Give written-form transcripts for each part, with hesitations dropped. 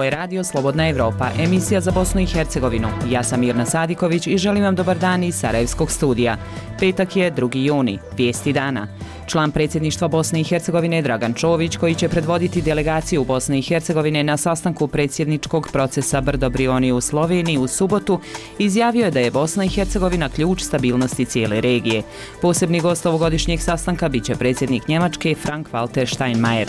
Ovo je Radio Slobodna Evropa, emisija za Bosnu i Hercegovinu. Ja sam Mirna Sadiković i želim vam dobar dan iz Sarajevskog studija. Petak je 2. juni, vijesti dana. Član predsjedništva Bosne i Hercegovine Dragan Čović, koji će predvoditi delegaciju Bosne i Hercegovine na sastanku predsjedničkog procesa Brdo Brioni u Sloveniji u subotu, izjavio je da je Bosna i Hercegovina ključ stabilnosti cijele regije. Posebni gost ovogodišnjeg sastanka biće predsjednik Njemačke Frank-Walter Steinmeier.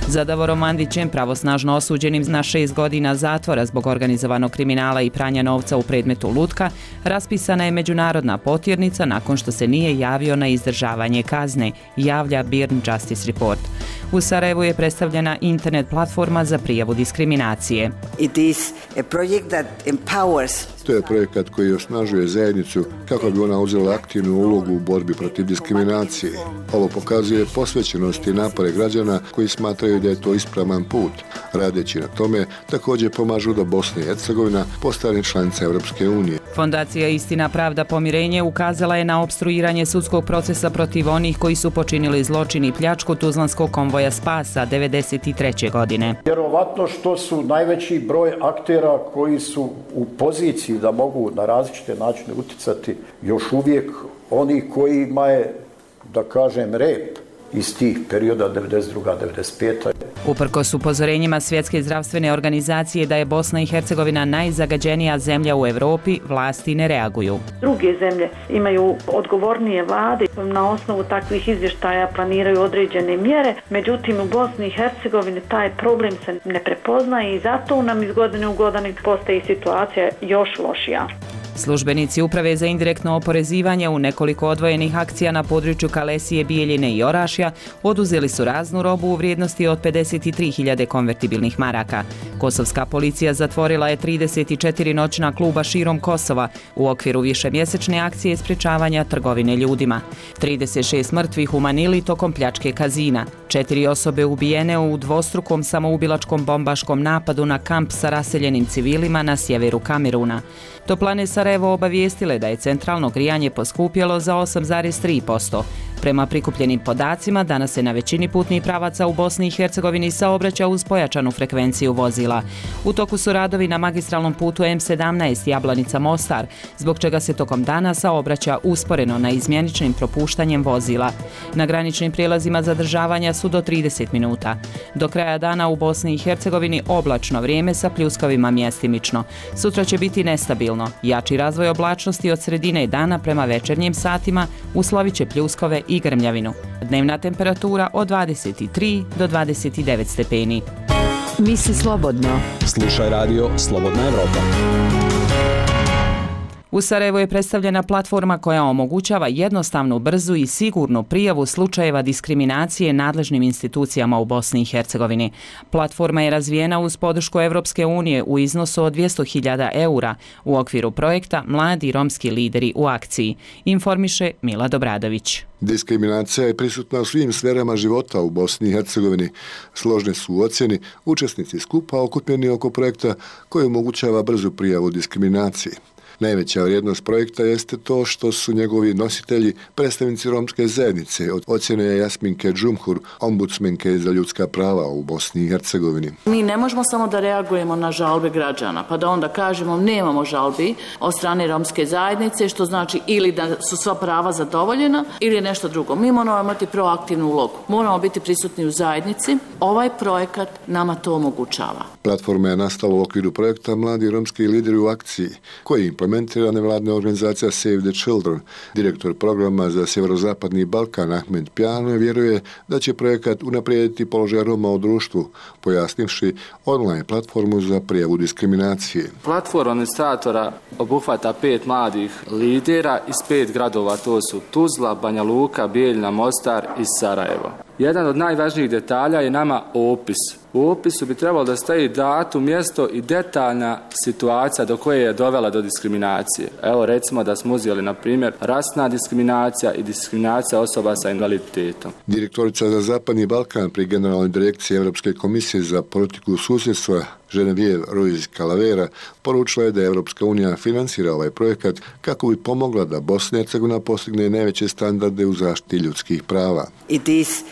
Za Davorom Mandićem, pravosnažno osuđenim na 6 godina zatvora zbog organizovanog kriminala i pranja novca u predmetu Lutka, raspisana je međunarodna potjernica nakon što se nije javio na izdržavanje kazne, javlja Birn Justice Report. U Sarajevu je predstavljena internet platforma za prijavu diskriminacije. To je projekat koji osnažuje zajednicu kako bi ona uzela aktivnu ulogu u borbi protiv diskriminacije. Ovo pokazuje posvećenost i napore građana koji smatraju da je to ispravan put. Radeći na tome, također pomažu da Bosna i Hercegovina postane članica Europske unije. Fondacija Istina, pravda, pomirenje ukazala je na opstruiranje sudskog procesa protiv onih koji su počinili zločin i pljačku Tuzlanskog konvoja Spasa 1993. godine. Vjerovatno što su najveći broj aktera koji su u poziciji da mogu na različite načine utjecati još uvijek oni kojima je, da kažem, rep iz tih perioda 92-95. Uprkos upozorenjima Svjetske zdravstvene organizacije da je Bosna i Hercegovina najzagađenija zemlja u Europi, vlasti ne reaguju. Druge zemlje imaju odgovornije vlade, na osnovu takvih izvještaja planiraju određene mjere, međutim u Bosni i Hercegovini taj problem se ne prepoznaje i zato nam iz godine u godinu postaje situacija još lošija. Službenici Uprave za indirektno oporezivanje u nekoliko odvojenih akcija na području Kalesije, Bijeljine i Orašja oduzeli su raznu robu u vrijednosti od 53.000 konvertibilnih maraka. Kosovska policija zatvorila je 34 noćna kluba širom Kosova u okviru višemjesečne akcije sprječavanja trgovine ljudima. 36 mrtvih u Manili tokom pljačke kazina. 4 osobe ubijene u dvostrukom samoubilačkom bombaškom napadu na kamp sa raseljenim civilima na sjeveru Kameruna. Toplane Sarajevo obavijestile da je centralno grijanje poskupjelo za 8,3%. Prema prikupljenim podacima, danas se na većini putnih pravaca u Bosni i Hercegovini saobraća uz pojačanu frekvenciju vozila. U toku su radovi na magistralnom putu M17 Jablanica-Mostar, zbog čega se tokom dana saobraća usporeno na izmjeničnim propuštanjem vozila. Na graničnim prijelazima zadržavanja su do 30 minuta. Do kraja dana u Bosni i Hercegovini oblačno vrijeme sa pljuskavima mjestimično. Sutra će biti nestabilno. Jači razvoj oblačnosti od sredine dana prema večernjim satima uslovit će pljuskove i grmljavinu. Dnevna temperatura od 23 do 29 stepeni. Misli slobodno. Slušaj radio Slobodna Evropa. U Sarajevu je predstavljena platforma koja omogućava jednostavnu, brzu i sigurnu prijavu slučajeva diskriminacije nadležnim institucijama u Bosni i Hercegovini. Platforma je razvijena uz podršku Evropske unije u iznosu od 200.000 eura u okviru projekta Mladi romski lideri u akciji, informiše Milad Obradović. Diskriminacija je prisutna u svim sferama života u Bosni i Hercegovini. Složne su u ocjeni učesnici skupa okupljeni oko projekta koji omogućava brzu prijavu diskriminacije. Najveća vrijednost projekta jeste to što su njegovi nositelji predstavnici romske zajednice, ocjene je Jasminke Džumhur, ombudsmenke za ljudska prava u Bosni i Hercegovini. Mi ne možemo samo da reagujemo na žalbe građana, pa da onda kažemo nemamo žalbi od strane romske zajednice, što znači ili da su sva prava zadovoljena ili nešto drugo. Mi moramo imati proaktivnu ulogu. Moramo biti prisutni u zajednici. Ovaj projekat nama to omogućava. Platforma je nastala u okviru projekta Mladi romski lideri u akciji, koji implementira nevladna organizacija Save the Children. Direktor programa za Sjeverozapadni Balkan Ahmed Pjano vjeruje da će projekat unaprijediti položaj Roma u društvu, pojasnivši online platformu za prijavu diskriminacije. Platforma administratora obuhvata 5 mladih lidera iz 5 gradova, to su Tuzla, Banja Luka, Bijeljina, Mostar i Sarajevo. Jedan od najvažnijih detalja je nama opis. U opisu bi trebalo da stoji datum, mjesto i detaljna situacija do koje je dovela do diskriminacije. Evo recimo da smo uzeli na primjer rasna diskriminacija i diskriminacija osoba sa invaliditetom. Direktorica za Zapadni Balkan pri Generalnoj direkciji Europske komisije za politiku susjedstva Genevieve Ruiz Calavera poručila je da Europska unija finansira ovaj projekat kako bi pomogla da Bosna i Hercegovina postigne najveće standarde u zaštiti ljudskih prava. It is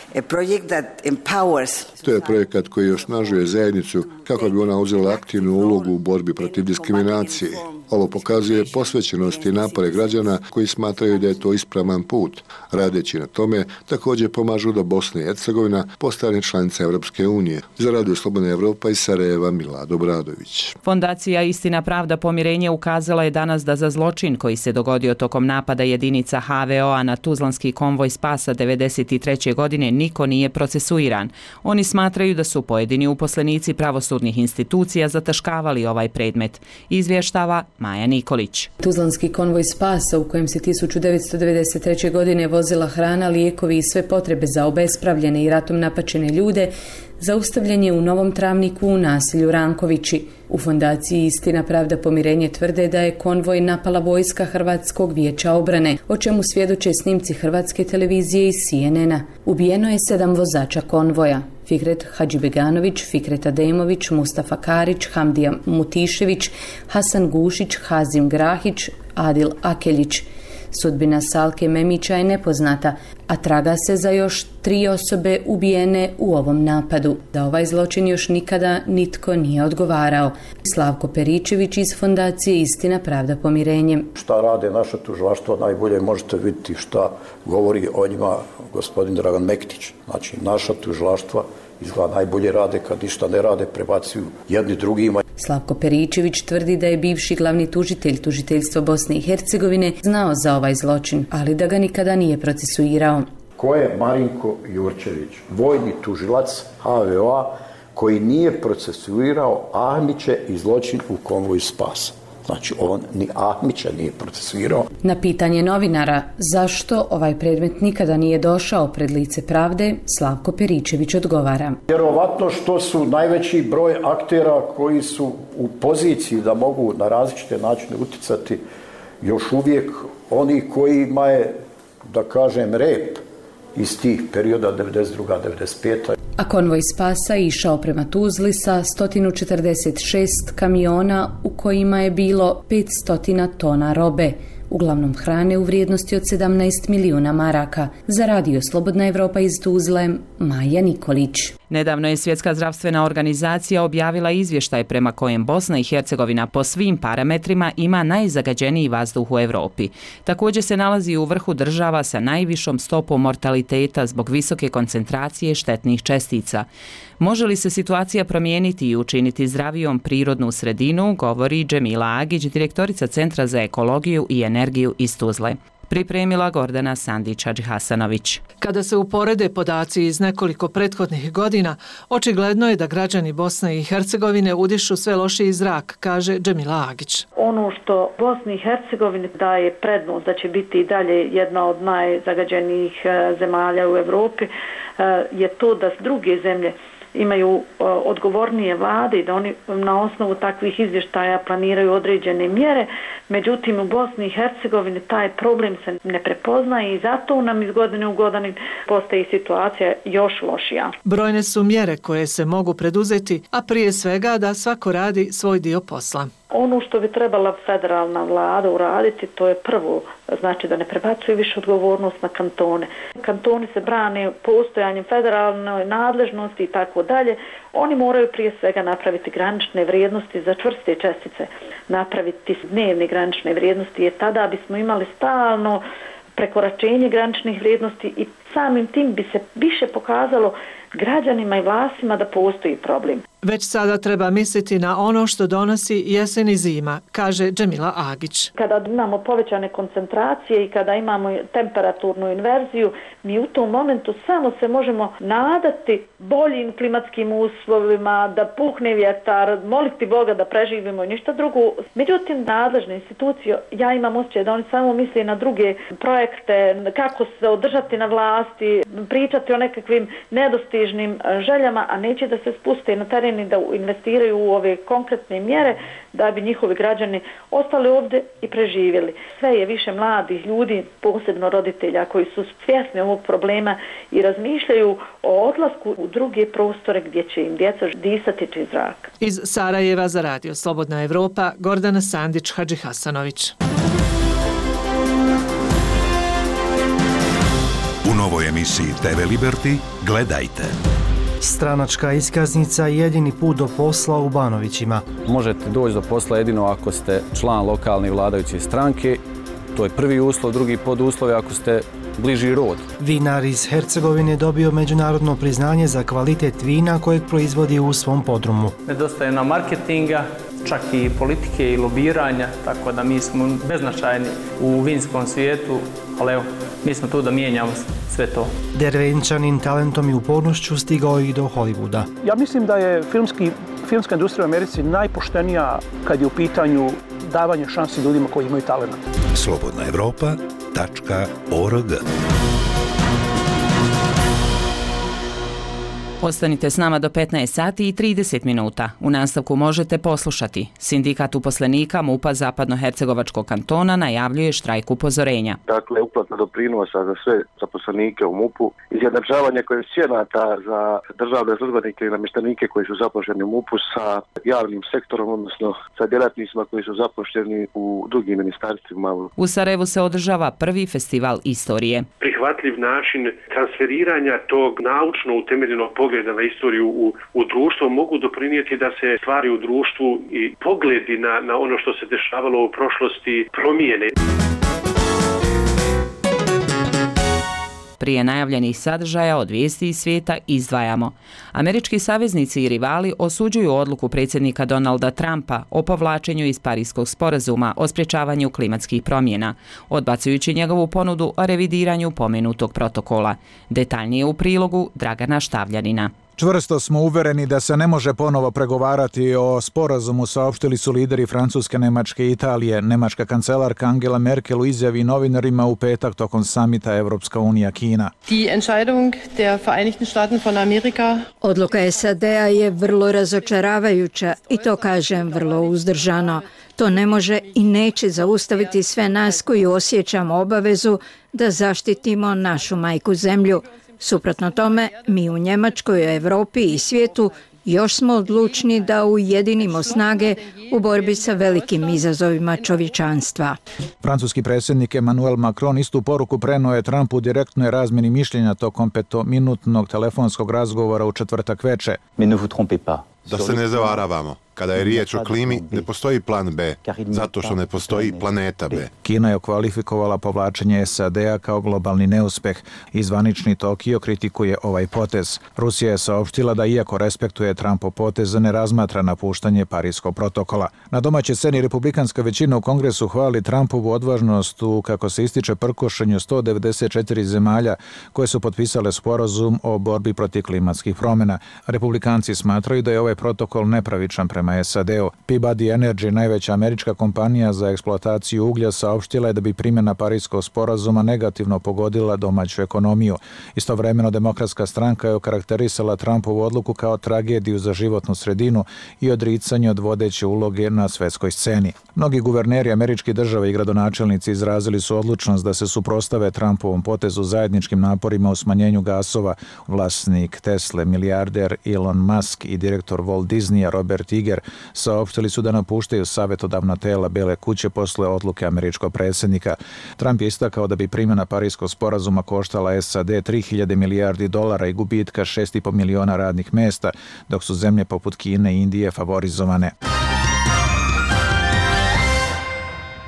To je projekat koji osnažuje zajednicu kako bi ona uzela aktivnu ulogu u borbi protiv diskriminacije. Ovo pokazuje posvećenost i napore građana koji smatraju da je to ispravan put. Radeći na tome, također pomažu da Bosna i Hercegovina postane članica Europske unije. Za Radio Slobodna Evropa iz Sarajeva, Milad Obradović. Fondacija Istina, pravda, pomirenje ukazala je danas da za zločin koji se dogodio tokom napada jedinica HVO-a na Tuzlanski konvoj spasa 1993. godine niko nije procesuiran. Oni smatraju da su pojedini uposlenici pravosudnih institucija zataškavali ovaj predmet. Izvještava Maja Nikolić. Tuzlanski konvoj spasa u kojem se 1993. godine vozila hrana, lijekovi i sve potrebe za obespravljene i ratom napačene ljude zaustavljen je u Novom Travniku u naselju Rankovići. U fondaciji Istina, pravda, pomirenje tvrde da je konvoj napala vojska Hrvatskog vijeća obrane, o čemu svjedoče snimci Hrvatske televizije i CNN-a. Ubijeno je 7 vozača konvoja: Fikret Hadžibeganović, Fikret Ademović, Mustafa Karić, Hamdija Mutišević, Hasan Gušić, Hazim Grahić, Adil Akeljić. Sudbina Salke Memića je nepoznata, a traga se za još 3 osobe ubijene u ovom napadu. Da ovaj zločin još nikada nitko nije odgovarao. Slavko Peričević iz fondacije Istina, pravda, pomirenje. Šta rade naša tužilaštva najbolje možete vidjeti šta govori o njima gospodin Dragan Mektić. Znači, naša tužilaštva izgleda najbolje rade kad ništa ne rade, prebacuju jedni drugima. Slavko Peričević tvrdi da je bivši glavni tužitelj tužiteljstva Bosne i Hercegovine znao za ovaj zločin, ali da ga nikada nije procesuirao. Ko je Marinko Jurčević, vojni tužilac HVO-a koji nije procesuirao Ahmiće i zločin u konvoju spasa? Znači, on ni Ahmića nije procesuirao. Na pitanje novinara zašto ovaj predmet nikada nije došao pred lice pravde, Slavko Peričević odgovara: Vjerovatno što su najveći broj aktera koji su u poziciji da mogu na različite načine uticati još uvijek oni kojima je, da kažem, rep iz tih perioda 92-95. A konvoj spasa išao prema Tuzli sa 146 kamiona u kojima je bilo 500 tona robe, uglavnom hrane u vrijednosti od 17 milijuna maraka. Za Radio Slobodna Evropa iz Tuzle, Maja Nikolić. Nedavno je Svjetska zdravstvena organizacija objavila izvještaj prema kojem Bosna i Hercegovina po svim parametrima ima najzagađeniji vazduh u Europi. Također se nalazi u vrhu država sa najvišom stopom mortaliteta zbog visoke koncentracije štetnih čestica. Može li se situacija promijeniti i učiniti zdravijom prirodnu sredinu, govori Džemila Agić, direktorica Centra za ekologiju i energiju iz Tuzle. Pripremila Gordana Sandić-Hadžihasanović. Kada se uporede podaci iz nekoliko prethodnih godina, očigledno je da građani Bosne i Hercegovine udišu sve lošiji zrak, kaže Džemila Agić. Ono što Bosni i Hercegovini daje prednost da će biti i dalje jedna od najzagađenijih zemalja u Europi je to da druge zemlje imaju odgovornije vlade i da oni na osnovu takvih izvještaja planiraju određene mjere. Međutim, u Bosni i Hercegovini taj problem se ne prepoznaje i zato nam iz godine u godinu postaje situacija još lošija. Brojne su mjere koje se mogu preduzeti, a prije svega da svako radi svoj dio posla. Ono što bi trebala federalna vlada uraditi, to je prvo, znači da ne prebacuje više odgovornost na kantone. Kantoni se brane postojanjem federalne nadležnosti i tako dalje. Oni moraju prije svega napraviti granične vrijednosti za čvrste čestice, napraviti dnevne granične vrijednosti, jer tada bismo imali stalno prekoračenje graničnih vrijednosti i samim tim bi se više pokazalo građanima i vlastima da postoji problem. Već sada treba misliti na ono što donosi jesen i zima, kaže Džemila Agić. Kada imamo povećane koncentracije i kada imamo temperaturnu inverziju, mi u tom momentu samo se možemo nadati boljim klimatskim uslovima, da puhne vjetar, moliti Boga da preživimo i ništa drugo. Međutim, nadležne institucije, ja imam osjećaj da oni samo misle na druge projekte, kako se održati na vlasti, pričati o nekakvim nedostižnim željama, a neće da se spuste na teren i da investiraju u ove konkretne mjere da bi njihovi građani ostali ovdje i preživjeli. Sve je više mladih ljudi, posebno roditelja koji su svjesni ovog problema i razmišljaju o odlasku u druge prostore gdje će im djeca disati čist zrak. Iz Sarajeva za Radio Slobodna Evropa, Gordana Sandić-Hadžihasanović. novoj emisiji TV Liberty gledajte. Stranačka iskaznica je jedini put do posla u Banovićima. Možete doći do posla jedino ako ste član lokalne vladajuće stranke. To je prvi uslov, drugi poduslov je ako ste bliži rod. Vinar iz Hercegovine dobio međunarodno priznanje za kvalitet vina kojeg proizvodi u svom podrumu. Nedostaje nam marketinga, čak i politike i lobiranja, tako da mi smo beznačajni u vinskom svijetu, ali evo, mi smo tu da mijenjamo sve to. Dervenčanin talentom i upornošću stigao i do Hollywooda. Ja mislim da je filmska industrija u Americi najpoštenija kad je u pitanju davanje šansi ljudima koji imaju talent. slobodnaevropa.org. Ostanite s nama do 15 sati i 30 minuta. U nastavku možete poslušati. Sindikat uposlenika MUP-a Zapadnohercegovačkog kantona najavljuje štrajk upozorenja. Dakle, uplata doprinosa za sve zaposlenike u MUP-u, izjednačavanje koeficijenata za državne službenike i namještenike koji su zaposleni u MUP-u sa javnim sektorom, odnosno sa djelatnicima koji su zaposleni u drugim ministarstvima. U Sarajevu se održava prvi festival istorije. Prihvatljiv način transferiranja tog naučno utemeljenog pogleda na istoriju u društvo mogu doprinijeti da se stvari u društvu i pogledi na ono što se dešavalo u prošlosti promijene. Prije najavljenih sadržaja od vijesti iz svijeta izdvajamo. Američki saveznici i rivali osuđuju odluku predsjednika Donalda Trumpa o povlačenju iz Parijskog sporazuma o sprječavanju klimatskih promjena, odbacujući njegovu ponudu o revidiranju pomenutog protokola. Detaljnije u prilogu Dragana Štavljanina. Čvrsto smo uvereni da se ne može ponovo pregovarati o sporazumu, saopštili su lideri Francuske, Njemačke i Italije. Njemačka kancelarka Angela Merkel u izjavi novinarima u petak tokom samita Evropska unija Kina. Odluka SAD-a je vrlo razočaravajuća i to kažem vrlo uzdržano. To ne može i neće zaustaviti sve nas koji osjećamo obavezu da zaštitimo našu majku zemlju. Suprotno tome, mi u Njemačkoj, Europi i svijetu još smo odlučni da ujedinimo snage u borbi sa velikim izazovima čovječanstva. Francuski predsjednik Emmanuel Macron istu poruku prenuo je Trumpu u direktnoj razmjeni mišljenja tokom 5-minutnog telefonskog razgovora u četvrtak veče. Da se ne zavaravamo. Kada je riječ o klimi, ne postoji plan B, zato što ne postoji planeta B. Kina je okvalifikovala povlačenje SAD-a kao globalni neuspeh i zvanični Tokio kritikuje ovaj potez. Rusija je saopštila da iako respektuje Trumpov potez, ne razmatra napuštanje Parijskog protokola. Na domaćoj sceni republikanska većina u Kongresu hvali Trumpovu odvažnost u, kako se ističe, prkošenju 194 zemalja koje su potpisale sporazum o borbi protiv klimatskih promjena. Republikanci smatraju da je ovaj protokol nepravičan prema SAD-u. Peabody Energy, najveća američka kompanija za eksploataciju uglja, saopštila je da bi primjena Parijskog sporazuma negativno pogodila domaću ekonomiju. Istovremeno, Demokratska stranka je okarakterisala Trumpovu odluku kao tragediju za životnu sredinu i odricanje od vodeće uloge na svjetskoj sceni. Mnogi guverneri američkih država i gradonačelnici izrazili su odlučnost da se suprotstave Trumpovom potezu zajedničkim naporima u smanjenju gasova. Vlasnik Tesle, milijarder Elon Musk i direktor Walt Disneya Robert Iger saopštili su da napuštaju savjetodavna tela Bele kuće posle odluke američkog predsjednika. Trump je istakao da bi primjena Parijskog sporazuma koštala SAD 3.000 milijardi dolara i gubitka 6,5 miliona radnih mjesta, dok su zemlje poput Kine i Indije favorizovane.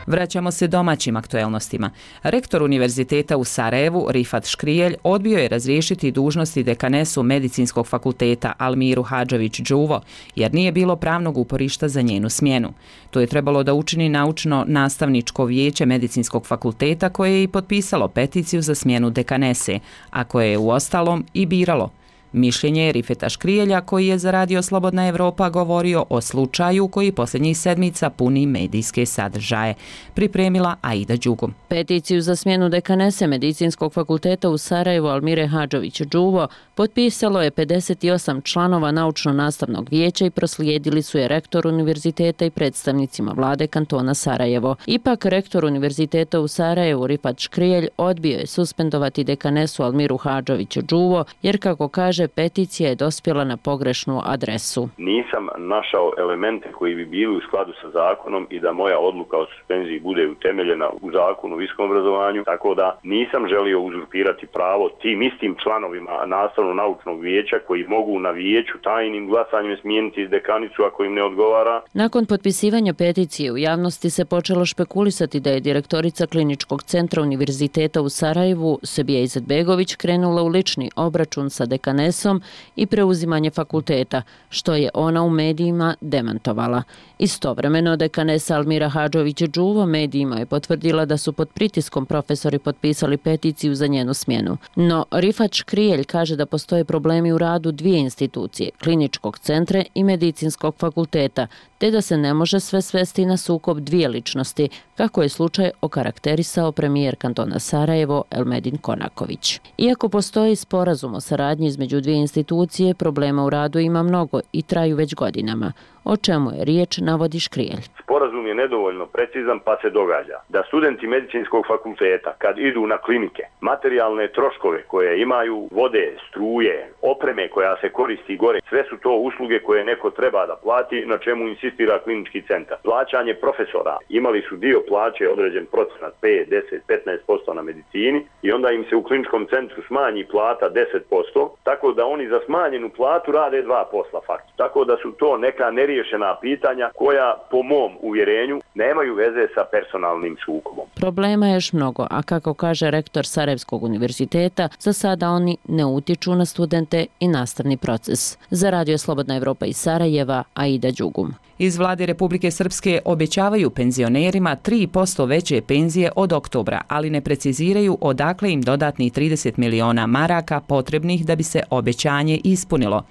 Vraćamo se domaćim aktuelnostima. Rektor Univerziteta u Sarajevu, Rifat Škrijelj, odbio je razriješiti dužnosti dekanesu Medicinskog fakulteta Almiru Hadžović-Đuvo, jer nije bilo pravnog uporišta za njenu smjenu. To je trebalo da učini naučno-nastavničko vijeće Medicinskog fakulteta, koje je i potpisalo peticiju za smjenu dekanese, a koje je uostalom i biralo. Mišljenje je Rifeta Škrijelja, koji je za Radio Slobodna Evropa govorio o slučaju koji posljednjih sedmica puni medijske sadržaje. Pripremila Aida Đugum. Peticiju za smjenu dekanese Medicinskog fakulteta u Sarajevu Almire Hadžović-Đuvo potpisalo je 58 članova naučno-nastavnog vijeća i proslijedili su je rektor univerziteta i predstavnicima vlade kantona Sarajevo. Ipak rektor univerziteta u Sarajevu Rifat Škrijelj odbio je suspendovati dekanesu Almiru Hadžović-Đuvo, jer kako kaže kaže peticija je dospjela na pogrešnu adresu. Nisam našao elemente koji bi bili u skladu sa zakonom i da moja odluka o suspenziji bude utemeljena u zakonu o visokom obrazovanju, tako da nisam želio uzurpirati pravo tim istim članovima nastavno-naučnog vijeća koji mogu na vijeću tajnim glasanjem smijeniti dekanicu ako im ne odgovara. Nakon potpisivanja peticije u javnosti se počelo špekulisati da je direktorica Kliničkog centra Univerziteta u Sarajevu, Sebija Izetbegović, krenula u lični obračun sa dekanesom i preuzimanje fakulteta, što je ona u medijima demantovala. Istovremeno, dekanesa Almira Hadžović-Đuvo medijima je potvrdila da su pod pritiskom profesori potpisali peticiju za njenu smjenu. No, Rifat Škrijelj kaže da postoje problemi u radu dvije institucije, Kliničkog centra i Medicinskog fakulteta, te da se ne može sve svesti na sukob dvije ličnosti, kako je slučaj okarakterisao premijer kantona Sarajevo Elmedin Konaković. Iako postoji sporazum o saradnji između dvije institucije, problema u radu ima mnogo i traju već godinama. O čemu je riječ, navodi Škrijelj. Sporazum je nedovoljno precizan pa se događa da studenti medicinskog fakulteta kad idu na klinike, materijalne troškove koje imaju, vode, struje, opreme koja se koristi gore, sve su to usluge koje neko treba da plati, na čemu insistira klinički centar. Plaćanje profesora, imali su dio plaće određen procenat 5, 10, 15% na medicini i onda im se u kliničkom centru smanji plata 10%, tako da oni za smanjenu platu rade dva posla faktički. Tako da su to neka neriješena pitanja koja po mom uvjerenju nemaju veze sa personalnim sukobom. Problema je još mnogo, a kako kaže rektor Sarajevskog univerziteta, za sada oni ne utiču na studente i nastavni proces. Za Radio Slobodna Evropa iz Sarajeva, Aida Đugum. Iz vlade Republike Srpske obećavaju penzionerima 3% veće penzije od oktobra, ali ne preciziraju odakle im dodatnih 30 miliona maraka potrebnih da bi se obećanje ispunilo.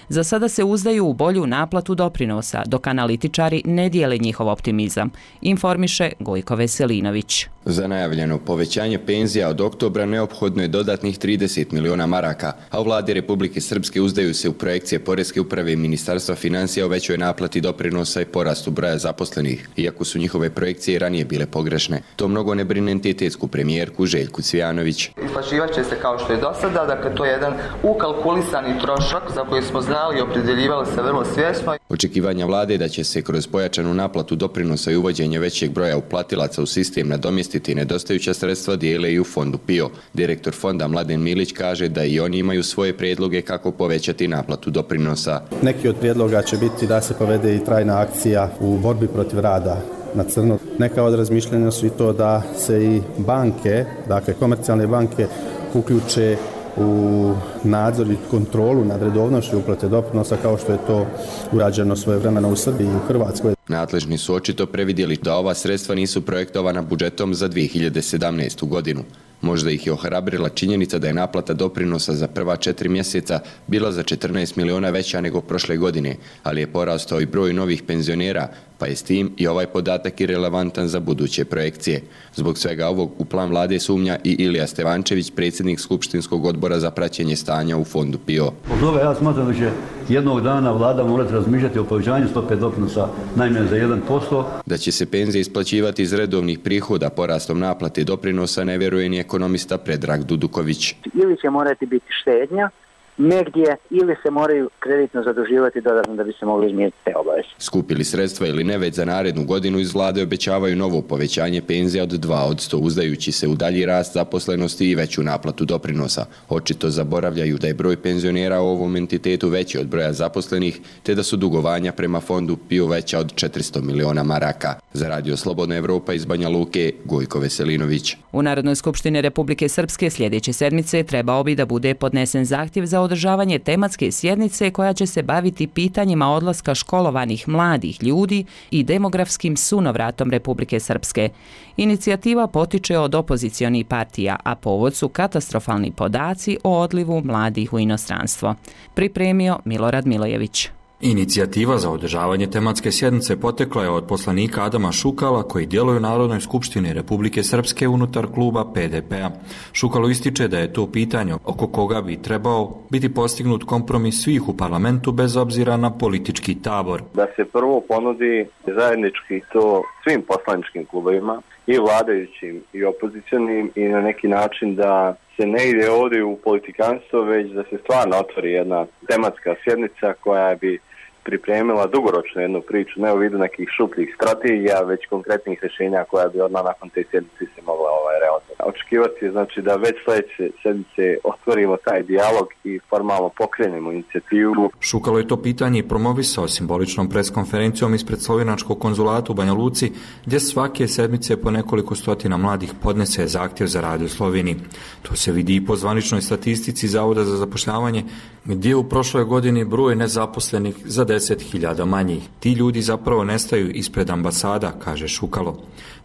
Za sada se uzdaju u bolju naplatu doprinosa, dok analitičari ne dijele njihov optimizam, informiše Gojko Veselinović. Za najavljeno povećanje penzija od oktobra neophodno je dodatnih 30 miliona maraka, a u vladi Republike Srpske uzdaju se u projekcije Poreske uprave i Ministarstva financija o većoj naplati doprinosa i porastu broja zaposlenih, iako su njihove projekcije ranije bile pogrešne. To mnogo ne brine entitetsku premijerku Željku Cvijanović. Isplaćivat će se kao što je do sada, dakle to je jedan ukalkulisani trošak za koji smo znali i opredjeljivali se vrlo svjesno. Očekivanja vlade da će se kroz pojačanu naplatu doprinosa i uvođenje većeg broja uplatilaca u sistem nadomjestiti nedostajuća sredstva dijele i u fondu PIO. Direktor fonda Mladen Milić kaže da i oni imaju svoje prijedloge kako povećati naplatu doprinosa. Neki od prijedloga će biti da se povede i trajna akcija u borbi protiv rada na crno. Neka od razmišljanja su i to da se i banke, dakle komercijalne banke, uključe u nadzor i kontrolu nad redovnošću uplate doprinosa kao što je to urađeno svojevremeno u Srbiji i u Hrvatskoj. Nadležni su očito previdjeli da ova sredstva nisu projektovana budžetom za 2017. godinu. Možda ih je ohrabrila činjenica da je naplata doprinosa za prva 4 mjeseca bila za 14 miliona veća nego prošle godine, ali je porastao i broj novih penzionera, pa je s tim i ovaj podatak irelevantan za buduće projekcije. Zbog svega ovog u plan vlade sumnja i Ilija Stevančević, predsjednik Skupštinskog odbora za praćenje stanja u fondu PIO. Od toga ja smatram da će jednog dana vlada morati razmišljati o povećanju stope doprinosa najmanje za 1%. Da će se penzije isplaćivati iz redovnih prihoda porastom naplate doprinosa ne vjeruje ni ekonomista Predrag Duduković. Ili će morati biti štednja negdje ili se moraju kreditno zaduživati dodatno da bi se mogli izmiriti te obaveze. Skupili sredstva ili ne, već za narednu godinu iz vlade obećavaju novo povećanje penzija od 2%, uzdajući se u dalji rast zaposlenosti i veću naplatu doprinosa. Očito zaboravljaju da je broj penzionera u ovom entitetu veći od broja zaposlenih, te da su dugovanja prema fondu PIO veća od 400 miliona maraka. Za Radio Slobodna Evropa iz Banja Luke, Gojko Veselinović. U Narodnoj skupštini Republike Srpske sljedeće sedmice trebao bi da bude podnesen zahtjev za održavanje tematske sjednice koja će se baviti pitanjima odlaska školovanih mladih ljudi i demografskim sunovratom Republike Srpske. Inicijativa potiče od opozicionih partija, a povod su katastrofalni podaci o odlivu mladih u inostranstvo. Pripremio Milorad Milojević. Inicijativa za održavanje tematske sjednice potekla je od poslanika Adama Šukala koji djeluje u Narodnoj skupštini Republike Srpske unutar kluba PDP-a. Šukalo ističe da je to pitanje oko koga bi trebao biti postignut kompromis svih u parlamentu bez obzira na politički tabor. Da se prvo ponudi zajednički to svim poslaničkim klubovima, i vladajućim i opozicionim, i na neki način da se ne ide ovdje u politikanstvo, već da se stvarno otvori jedna tematska sjednica koja bi pripremila dugoročno jednu priču, ne u vidu nekih šupljih strategija, već konkretnih rješenja koja bi odmah nakon te sjednice se mogla realizirati. Očekivati je znači da već sljedeće sjednice otvorimo taj dijalog i formalno pokrenemo inicijativu. Šukalo je to pitanje i promovisao simboličnom preskonferencijom ispred slovenačkog konzulata u Banja Luci, gdje svake sedmice po nekoliko stotina mladih podnese zahtjev za rad u Sloveniji. To se vidi i po zvaničnoj statistici Zavoda za zapošljavanje, gdje u prošloj godini broj nezaposlenih za 10.000 manjih. Ti ljudi zapravo nestaju ispred ambasada, kaže Šukalo.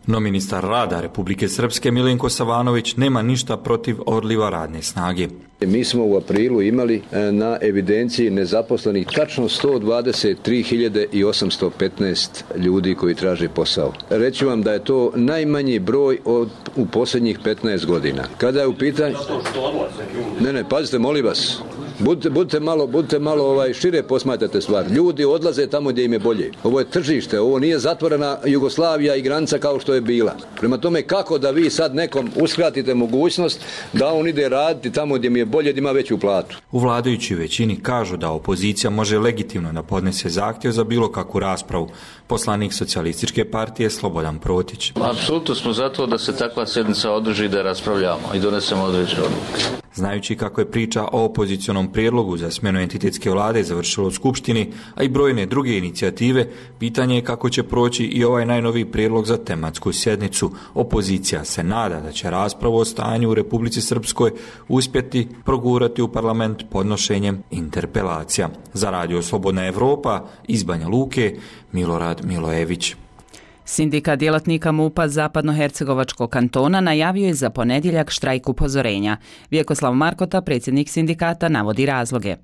No ministar rada Republike Srpske Milenko Savanović nema ništa protiv odliva radne snage. Mi smo u aprilu imali na evidenciji nezaposlenih tačno 123.815 ljudi koji traže posao. Reći vam da je to najmanji broj u posljednjih 15 godina. Kada je u pitanju... Ne, pazite, molim vas. Budite malo šire posmatrate stvar. Ljudi odlaze tamo gdje im je bolje. Ovo je tržište, ovo nije zatvorena Jugoslavija i granica kao što je bila. Prema tome, kako da vi sad nekom uskratite mogućnost da on ide raditi tamo gdje mi je bolje, da ima veću platu? U vladajućoj većini kažu da opozicija može legitimno da podnese zahtjev za bilo kakvu raspravu. Poslanik Socijalističke partije Slobodan Protić. Apsolutno smo zato da se takva sjednica održi i da raspravljamo i donesemo određene odluke. Znajući kako je priča o opozicionom prijedlogu za smjenu entitetske vlade završila u Skupštini, a i brojne druge inicijative, pitanje je kako će proći i ovaj najnoviji prijedlog za tematsku sjednicu. Opozicija se nada da će raspravu o stanju u Republici Srpskoj uspjeti progurati u parlament podnošenjem interpelacija. Za Radio Slobodna Evropa iz Banja Luke, Milorad Milojević. Sindikat djelatnika MUP-a Zapadnohercegovačkog kantona najavio je za ponedjeljak štrajk upozorenja. Vjekoslav Markota, predsjednik sindikata, navodi razloge.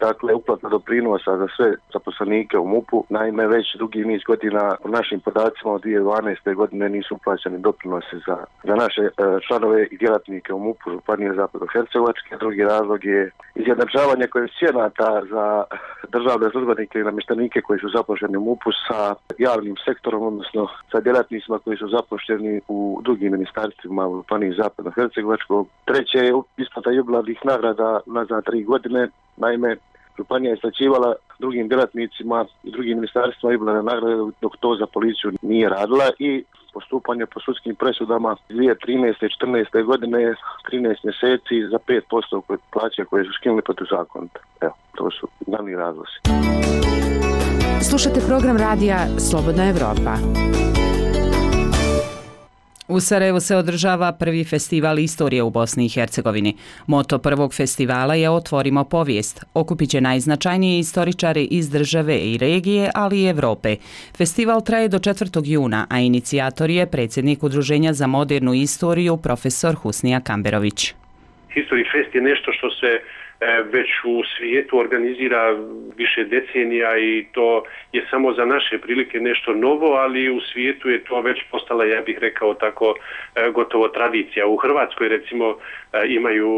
Dakle, uplata doprinosa za sve zaposlenike u MUP-u. Naime, već dugi niz godina po našim podacima od 2012. godine nisu uplaćeni doprinosi za naše članove i djelatnike u MUP-u Županije Zapadnohercegovačke. Drugi razlog je izjednačavanje koeficijenata za državne službenike i namještenike koji su zaposleni u MUP-u sa javnim sektorom, odnosno sa djelatnicima koji su zaposleni u drugim ministarstvima u Županiji Zapadnohercegovačkog. Treće je isplata jubilarnih nagrada nazad 3 godine. Naime, županija je isplaćivala drugim djelatnicima i drugim ministarstvima jubilarne nagrade dok to za policiju nije radila i postupanje po sudskim presudama 2013. i 2014. godine 13 mjeseci za 5% plaće koje su skinuli protuzakonito. Evo, to su glavni razlozi. Slušajte program radija Slobodna Evropa. U Sarajevu se održava prvi festival istorije u Bosni i Hercegovini. Moto prvog festivala je Otvorimo povijest. Okupit će najznačajnije istoričare iz države i regije, ali i Evrope. Festival traje do 4. juna, a inicijator je predsjednik Udruženja za modernu istoriju profesor Husnija Kamberović. History Fest je nešto što se već u svijetu organizira više decenija i to je samo za naše prilike nešto novo, ali u svijetu je to već postala, ja bih rekao tako, gotovo tradicija. U Hrvatskoj recimo imaju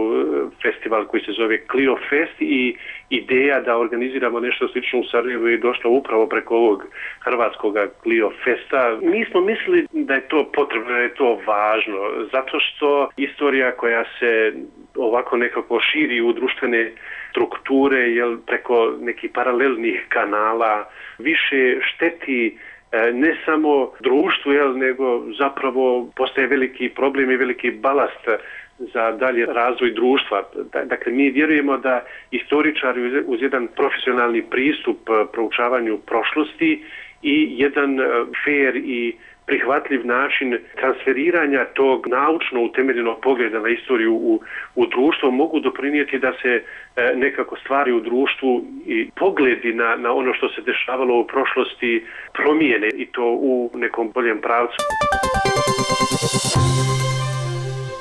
festival koji se zove Clio Fest i ideja da organiziramo nešto slično u Sarajevu je došla upravo preko ovog hrvatskog Clio Festa. Mi smo mislili da je to potrebno, da je to važno, zato što istorija koja se ovako nekako širi u društvene strukture, jel, preko nekih paralelnih kanala, više šteti ne samo društvu, jel, nego zapravo postaje veliki problem i veliki balast za dalje razvoj društva. Dakle, mi vjerujemo da istoričari uz jedan profesionalni pristup proučavanju prošlosti i jedan fair i prihvatljiv način transferiranja tog naučno utemeljenog pogleda na istoriju u društvo mogu doprinijeti da se nekako stvari u društvu i pogledi na ono što se dešavalo u prošlosti promijene i to u nekom boljem pravcu.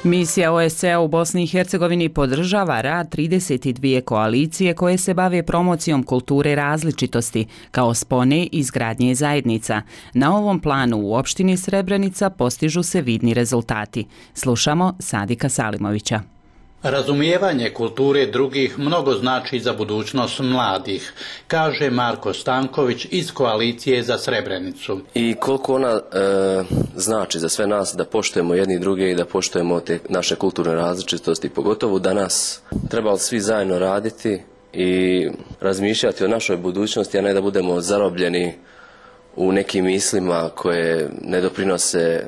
Misija OSCE u Bosni i Hercegovini podržava rad 32 koalicije koje se bave promocijom kulture različitosti kao spone izgradnje zajednica. Na ovom planu u opštini Srebrenica postižu se vidni rezultati. Slušamo Sadika Salimovića. Razumijevanje kulture drugih mnogo znači za budućnost mladih, kaže Marko Stanković iz Koalicije za Srebrenicu. I koliko ona znači za sve nas da poštujemo jedni druge i da poštujemo te naše kulturne različitosti, pogotovo danas trebali svi zajedno raditi i razmišljati o našoj budućnosti, a ne da budemo zarobljeni u nekim mislima koje ne doprinose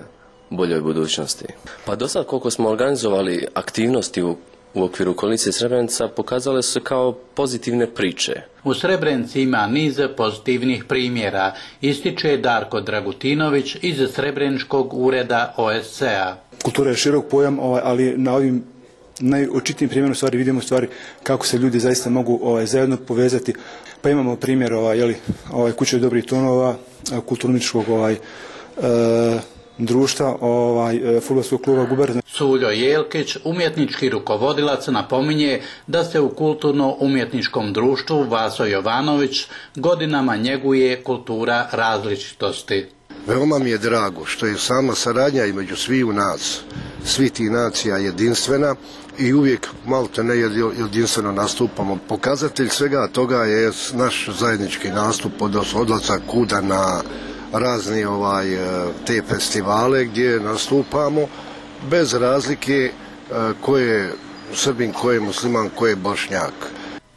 boljoj budućnosti. Pa do sad koliko smo organizovali aktivnosti u okviru Koalicije Srebrenica pokazale su se kao pozitivne priče. U Srebrenici ima niz pozitivnih primjera, ističe Darko Dragutinović iz Srebreničkog ureda OSCE-a. Kultura je širok pojam, ali na ovim najočitijim primjerom stvari vidimo stvari kako se ljudi zaista mogu zajedno povezati. Pa imamo primjer Kuće dobrih tonova, kulturničkog društva, fudbalskog kluba Guberna. Suljo Jelkić, umjetnički rukovodilac, napominje da se u kulturno-umjetničkom društvu Vaso Jovanović godinama njeguje kultura različitosti. Veoma mi je drago što je sama saradnja između sviju nas, svih tih nacija jedinstvena i uvijek malte ne jedinstveno nastupamo. Pokazatelj svega toga je naš zajednički nastup od odlazak kuda na razni te festivale gdje nastupamo bez razlike ko je Srbin, ko je musliman, ko je Bošnjak.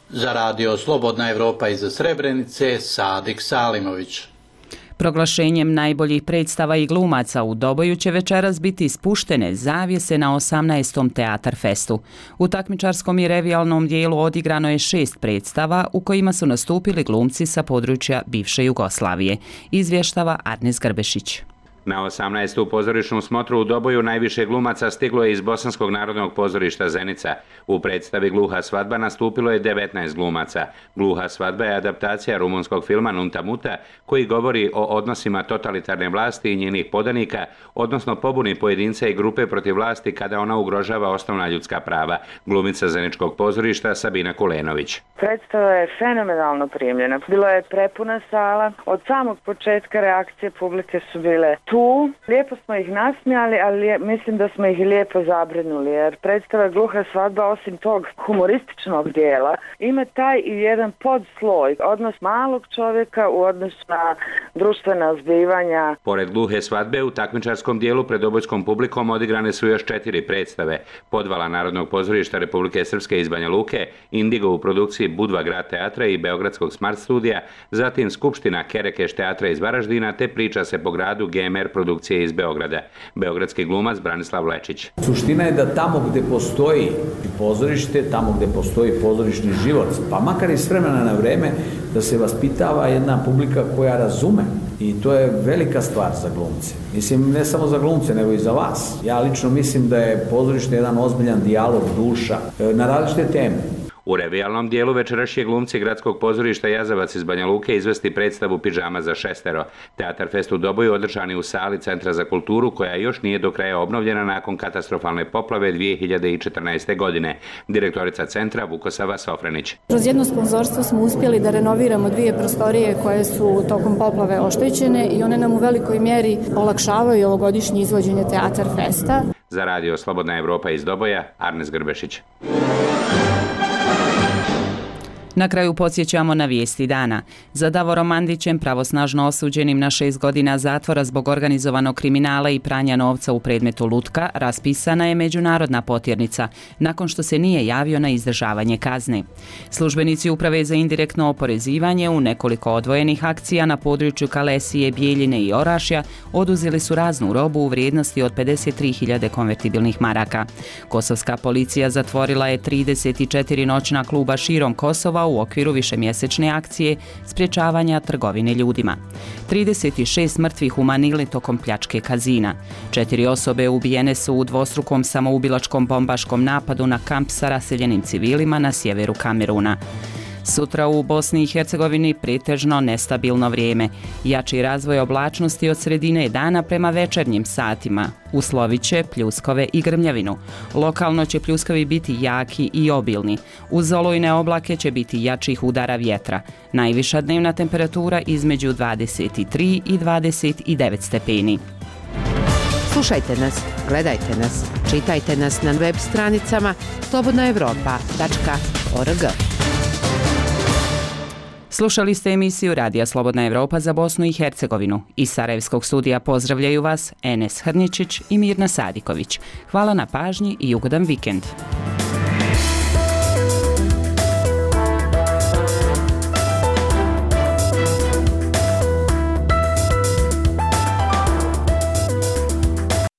Za radio Slobodna Evropa iz Srebrenice, Sadik Salimović. Proglašenjem najboljih predstava i glumaca u Doboju će večeras biti spuštene zavjese na 18. Teatar Festu. U takmičarskom i revijalnom dijelu odigrano je 6 predstava u kojima su nastupili glumci sa područja bivše Jugoslavije, izvještava Arnes Grbešić. Na 18. pozorišnu smotru u Doboju najviše glumaca stiglo je iz Bosanskog narodnog pozorišta Zenica. U predstavi Gluha svadba nastupilo je 19 glumaca. Gluha svadba je adaptacija rumunskog filma Nunta Muta koji govori o odnosima totalitarne vlasti i njenih podanika, odnosno pobuni pojedinca i grupe protiv vlasti kada ona ugrožava osnovna ljudska prava. Glumica Zeničkog pozorišta Sabina Kulenović. Predstava je fenomenalno primljena. Bila je prepuna sala. Od samog početka reakcije publike su bile tu. Lijepo smo ih nasmijali, ali mislim da smo ih lijepo zabrinuli, jer predstava Gluha svadba osim tog humorističnog dijela ima taj i jedan podsloj, odnos malog čovjeka u odnosu na društvena zbivanja. Pored Gluhe svadbe u takmičarskom dijelu pred dobojskom publikom odigrane su još 4 predstave. Podvala Narodnog pozorišta Republike Srpske iz Banja Luke, Indigo u produkciji Budva grad teatra i Beogradskog Smart studija, zatim Skupština Kerekeš teatra iz Varaždina te Priča se po gradu GMR produkcije iz Beograda. Beogradski glumac Branislav Lečić. Suština je da tamo gdje postoji pozorište, tamo gdje postoji pozorišni život, pa makar i s vremena na vrijeme, da se vaspitava jedna publika koja razume. I to je velika stvar za glumce. Mislim, ne samo za glumce, nego i za vas. Ja lično mislim da je pozorište jedan ozbiljan dijalog duša na različite teme. U revijalnom dijelu večerašnji glumci Gradskog pozorišta Jazavac iz Banja Luke izvesti predstavu Pidžama za šestero. Teatar Fest u Doboju održan je u sali Centra za kulturu koja još nije do kraja obnovljena nakon katastrofalne poplave 2014. godine. Direktorica centra Vukosava Sofrenić. Kroz jedno sponzorstvo smo uspjeli da renoviramo 2 prostorije koje su tokom poplave oštećene i one nam u velikoj mjeri olakšavaju ovogodišnje izvođenje Teatar Festa. Za radio Slobodna Evropa iz Doboja, Arnes Grbešić. Na kraju podsjećamo na vijesti dana. Za Davorom Mandićem, pravosnažno osuđenim na 6 godina zatvora zbog organizovanog kriminala i pranja novca u predmetu Lutka, raspisana je međunarodna potjernica, nakon što se nije javio na izdržavanje kazne. Službenici Uprave za indirektno oporezivanje u nekoliko odvojenih akcija na području Kalesije, Bijeljine i Orašja oduzeli su raznu robu u vrijednosti od 53.000 konvertibilnih maraka. Kosovska policija zatvorila je 34 noćna kluba širom Kosova u okviru višemjesečne akcije sprječavanja trgovine ljudima. 36 mrtvih u Manili tokom pljačke kazina. 4 osobe ubijene su u dvostrukom samoubilačkom bombaškom napadu na kamp sa raseljenim civilima na sjeveru Kameruna. Sutra u Bosni i Hercegovini pretežno nestabilno vrijeme. Jači razvoj oblačnosti od sredine dana prema večernjim satima. Uslovit će pljuskove i grmljavinu. Lokalno će pljuskovi biti jaki i obilni. Uz olujne oblake će biti jačih udara vjetra. Najviša dnevna temperatura između 23 i 29 stepeni. Slušajte nas, gledajte nas, čitajte nas na web stranicama slobodnaevropa.org. Slušali ste emisiju Radija Slobodna Evropa za Bosnu i Hercegovinu. Iz Sarajevskog studija pozdravljaju vas Enes Hrničić i Mirna Sadiković. Hvala na pažnji i ugodan vikend.